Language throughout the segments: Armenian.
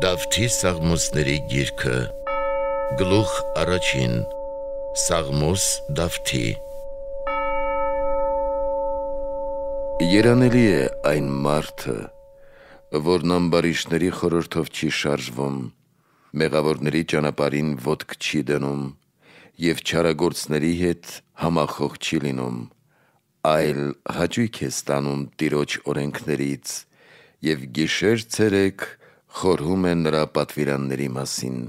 Դավթի Սաղմոսների գիրքը, գլուխ առաջին, Սաղմոս Դավթի։ Երանելի է այն մարդը, որն ամբարիշտների խորհրդով չի շարժվում, մեղավորների ճանապարհին ոտք չի դնում և չարագործների հետ համախոհ չի լինում, այլ հաճույք է ստանում Տիրոջ օրենքներից և գիշեր-ցերեկ խորհում է նրա պատվիրանների մասին։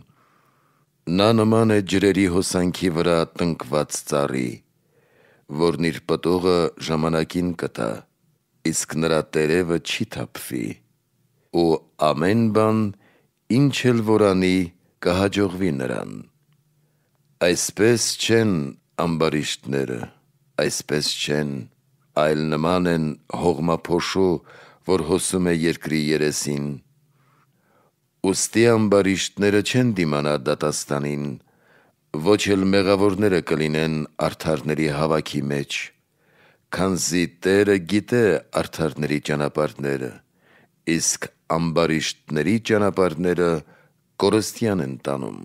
Նա նման է ջրերի հոսանքի վրա տնկված ծառի, որն իր պտուղը ժամանակին կտա, իսկ նրա տերևը չի թափվի, ու ամեն բան, ինչ էլ որ անի, կհաջողվի նրան։ Այսպես չեն ամբարիշտները, այսպես չեն, այլ նման են հողմափոշու, որ հոսում է երկրի երեսին։ Ուստի ամբարիշտները չեն դիմանա դատաստանին, ոչ էլ մեղավորները կլինեն արդարների հավաքի մեջ, քանզի Տերը գիտե արդարների ճանապարհները, իսկ ամբարիշտների ճանապարհները կորստյան են տանում։